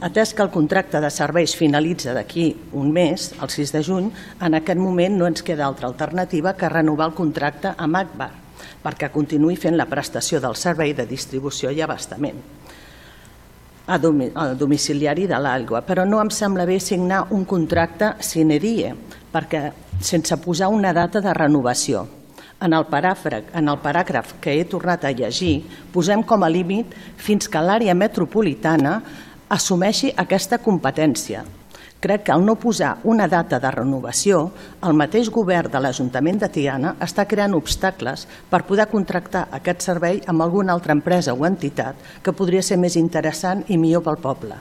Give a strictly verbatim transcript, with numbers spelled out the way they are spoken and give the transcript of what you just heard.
Atès que el contracte de serveis finalitza d'aquí un mes, el sis de juny, en aquest moment no ens queda altra alternativa que renovar el contracte amb Agbar perquè continuï fent la prestació del servei de distribució i abastament al domiciliari de l'aigua. Però no em sembla bé signar un contracte sine die, perquè sense posar una data de renovació. En el paràgraf que he tornat a llegir, posem com a límit fins que l'àrea metropolitana assumeixi aquesta competència. Crec que al no posar una data de renovació, el mateix govern de l'Ajuntament de Tiana està creant obstacles per poder contractar aquest servei amb alguna altra empresa o entitat que podria ser més interessant i millor pel poble.